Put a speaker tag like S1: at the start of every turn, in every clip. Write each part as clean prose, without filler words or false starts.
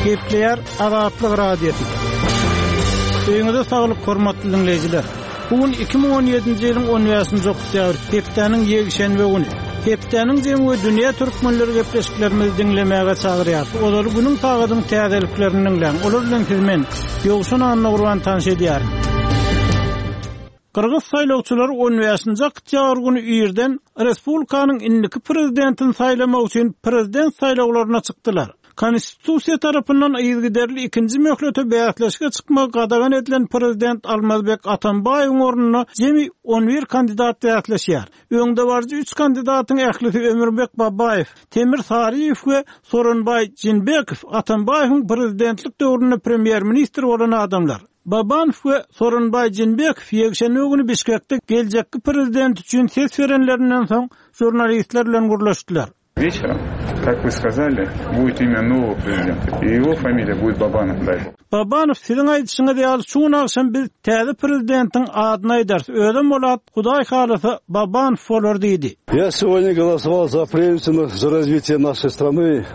S1: Gepleýär Azatlyk Radiosy. Öýüňize saglyk, hormatly diňleýjiler! Bu gün 2017-nji ýylyň 15-nji oktýabr, hepdäniň ýekşenbe güni. Hepdäniň jemi we dünýä türkmenleri gepleşiklerimizi diňlemäge çagyrýarys. Ozaly günüň sagadyň täzeliklerini diňläň. Olar bilen sizi men, Ýowşan Annagurban tanyş edýärin. Gyrgyz saýlawçylary on bäşinji oktýabr güni irden respublikanyň indiki prezidentini saýlamak üçin prezident saýlawlaryna çykdylar. Konstitusiýa tarapyndan yzygiderli ikinji möhlete bäsleşige çykmagy gadagan edilen prezident Almazbek Atambaýewiň ornuna jemi on bir kandidat bäsleşýär. Öňdebaryjy üç kandidatyň ählisi Ömürbek Babaýew, Temir Saryýew we Soronbaý Jinbekow Atambaýewiň prezidentlik döwründe premýer-ministr bolan adamlar. Babanow we Soronbaý Jinbekow ýekşenbe güni Bişkekde geljekki prezident üçin ses berenlerinden soň žurnalistler bilen gürleşdiler.
S2: Вечером, как вы сказали, будет имя нового prezidenta, и его familiya будет Babanow, дай bog.
S1: Babanow, siziň aýdyşyňyz ýaly, şu gün agşam biz täze prezidentiň adyny aýdarys, özem ol at, Hudaý halasa, Babanow bolar diýdi.
S3: Я сегодня голосовал за преемственность, за развитие нашей страны,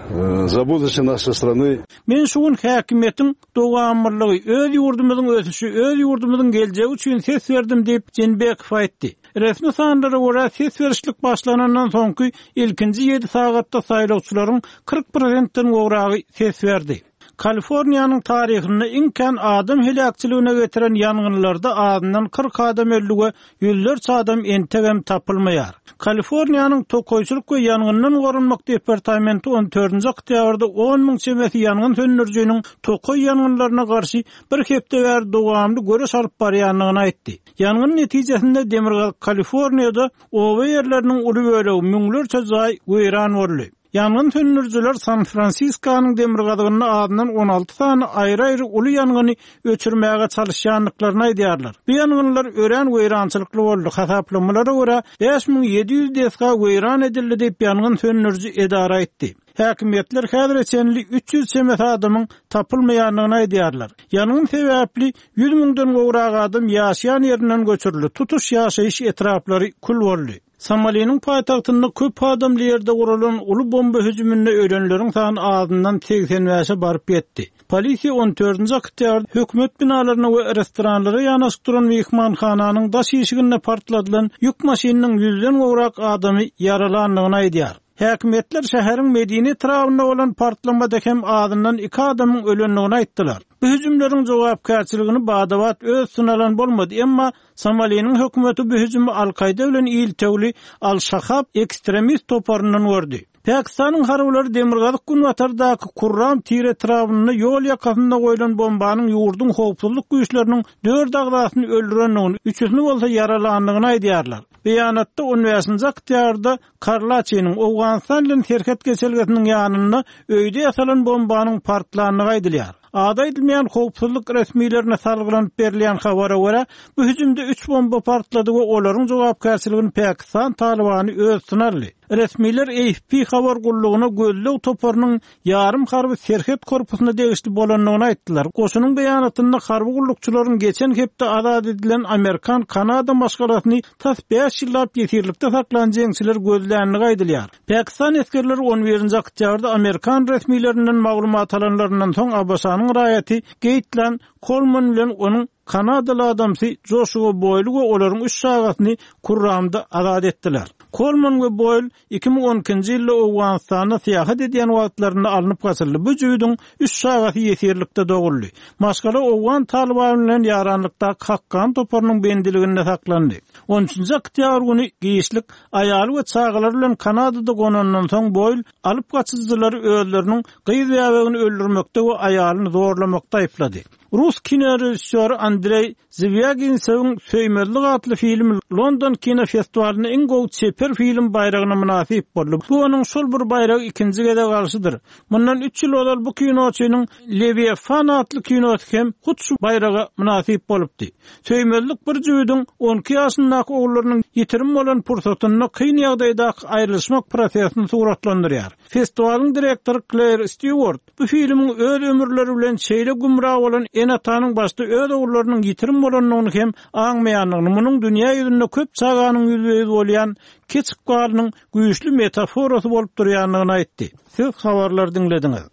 S3: за будущее нашей страны.
S1: Men şu gün häkimiýetiň dowamlylygy, öz ýurdumyzyň ösüşi, öz ýurdumyzyň geljegi üçin ses berdim diýip, Jeenbekow aýtdy. Resmi sanlara görä, ses berişlik başlanandan soňky ilkinji ýedi sagatda saýlawçylaryň 40 prosentden gowragy ses berdi. Kaliforniýanyň taryhynda iň kän adam heläkçiligine getiren ýangynlarda azyndan 40 adam öldi we ýüzlerçe adam entegem tapylmaýar. Kaliforniýanyň Tokaýçylyk we ýangyndan goranmak departamenti on dördünji oktýabrda on müň çemesi ýangyn söndürijiniň tokaý ýangynlaryna garşy bir hepde bäri dowamly göreş alyp barýandygyny aýtdy. Ýangyn netijesinde Demirgazyk Kaliforniýada oba ýerleriniň uly bölegi, müňlerçe jaý weýran boldy. Ýangyn söndürijiler San-Fransiskonyň demirgazygynda azyndan 16 sany aýry-aýry uly ýangyny öçürmäge çalyşýandyklaryny aýdýarlar. Bu ýangynlar örän weýrançylykly boldy, hasaplamalara görä, 5700 desga weýran edildi diýip, ýangyn söndüriji edara aýtdy. Häkimiýetler häzire çenli 300 çemesi adamyň tapylmaýandygyny aýdýarlar. Ýangyn sebäpli ýüz müňden gowrak adam ýaşaýan ýerinden göçürildi, tutuş ýaşaýyş etraplary kül boldy. Somaliniň paýtagtynda köp adamly ýerde guralan uly bomba hüjüminde ölenleriň sany azyndan 85-e baryp ýetdi. Polisiýa on dördünji oktýabrda hökümet binalaryna we restoranlara ýanaşyk duran myhmanhananyň daş işiginde partladylan ýük maşynynyň ýüzden gowrak adamy ýaralandygyny aýdýar. Häkimiýetler şäheriň medeni etrabynda bolan partlamada hem azyndan iki adamyň ölendigini aýtdylar. Bu hüjümleriň jogapkärçiligini bada-bat öz üstüne alan bolmady, emma Somaliniň hökümeti bu hüjümi Al-Kaýda bilen iltewli Al-Şahab ekstremist toparyndan gördi. Pakistanyň harbylary demirgazyk-günbatardaky Kurram Tir etrabynda ýol ýakasynda goýlan bombanyň ýurduň howpsuzlyk güýçleriniň dört agzasyny öldürendigini, üçüsini bolsa ýaralandygyny aýdýarlar. Beýanatda on bäşinji oktýabrda Karlaçynyň Owganystan bilen serhet geçelgesiniň ýanynda öýde ýasalan bombanyň partlandygy aýdylýar. Ady aýdylmaýan howpsuzlyk resmilerine salgylanyp berilýän habara görä, bu hüjümde üç bomba partlady we olaryň jogapkärçiligini Pakistan Talybany öz üstüne aldy. Resmiler AFP habar gullugyna gözleg toparynyň ýarym harby serhet korpusyna degişli bolandygyny aýtdylar. Goşunyň beýanatynda harby gullukçylaryň geçen hepde azat edilen amerikan-kanada maşgalasyny tas bäş ýyllap ýesirlikde saklan jeňçiler gözländigi aýdylýar. Pakistan esgerleri on birinji oktýabrda amerikan resmilerinden maglumat alanlaryndan soň ABŞ-nyň raýaty Geýtlan Kolman bilen onuň Kanadaly adamsy Joşua Boýly we olaryň üç çagasyny Kurramda azat etdiler. Kolman we Boýl 2012-nji ýylda Owganystanda syýahat edýän wagtlarynda alnyp gaçyldy. Bu jübüdiň üç çagasy ýesirlikde doguldy. Maşgala owgan Talybany bilen ýaranlykdaky Hakkany toparynyň bendiliginde saklandy. On üçünji oktýabr güni giçlik aýaly we çagalary bilen Kanadada gonandan soň Boýl alyp gaçyjylary özleriniň gyz bäbegini öldürmekde we aýalyny zorlamakda aýyplady. Rus kinorežissýory Andreý Zwýaginsewiň Söýmezlik atly filmi London kinofestiwalynda iň gowy çeper film baýragyna mynasyp boldy. Bu onuň şol bir baýragy ikinji gezek alşydyr. Mundan üç ýyl ozal bu kinoçynyň Lewiafan atly kinosy hem hut şu baýraga mynasyp bolupdy. Söýmezlik bir jübüdiň on iki ýaşyndaky ogullarynyň ýitirim bolan pursatynda kyn ýagdaýdaky aýrylyşmak prosesini suratlandyrýar. Festiwalyň direktory Kleýr Stýuart Bu filmiň öz ömürleri bilen şeýle gümra bolan ene-atanyň başda öz ogullarynyň ýitirim bolandygyny hem aňmaýandygyny, munuň dünýä ýüzünde köp çaganyň ýüzbe-ýüz bolýan keç ykbalynyň güýçli metaforasy bolup durýandygyny aýtdy. Siz habarlary diňlediňiz.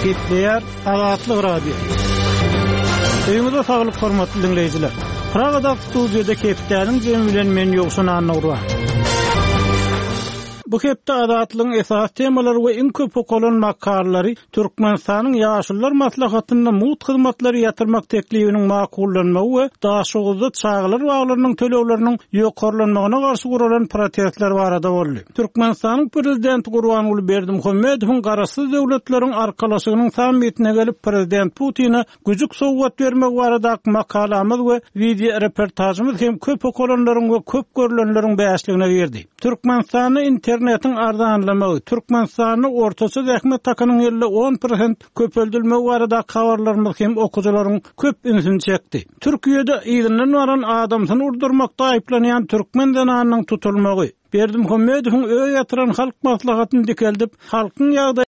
S1: Gepleýär Azatlyk Radiosy. Öýüňize saglyk hormatly diňleýjiler. Pragadaky studiýada hepdäniň jemi bilen men Ýowşan Annagurban. Bu hepde Azatlygyň esasy temalary we iň köp okalan makalalary Türkmenistanyň Ýaşulular maslahatynda mugt hyzmatlary ýatyrmak teklibiniň makullanmagy we Daşoguzda çagalar baglarynyň tölegleriniň ýokarlanmagyna garşy guralan protestler barada boldy. Türkmenistanyň Prezidenti Gurbanguly Berdimuhamedowyň Garaşsyz Döwletleriň Arkalaşygynyň sammitine gelip Prezident Putine güjük sowgat bermegi baradaky makalamyz we wideoreportažymyz hem köp okalanlaryň we köp görlenleriň bäşligine girdi. Türkmenistanda internetiň arzanlamagy, Türkmenistanda ortaça zähmet hakynyň ýylda 10 prosent köpeldilmegi baradaky habarlarymyz hem okyjylaryň köp ünsüni çekdi. Türkiýede yzyndan baran adamsyny urdurmakda aýyplanýan türkmen zenanynyň tutulmagy, Berdimuhamedowyň öz ýatyran Halk Maslahatyny dikeldip, halkyň ýagdaýyny.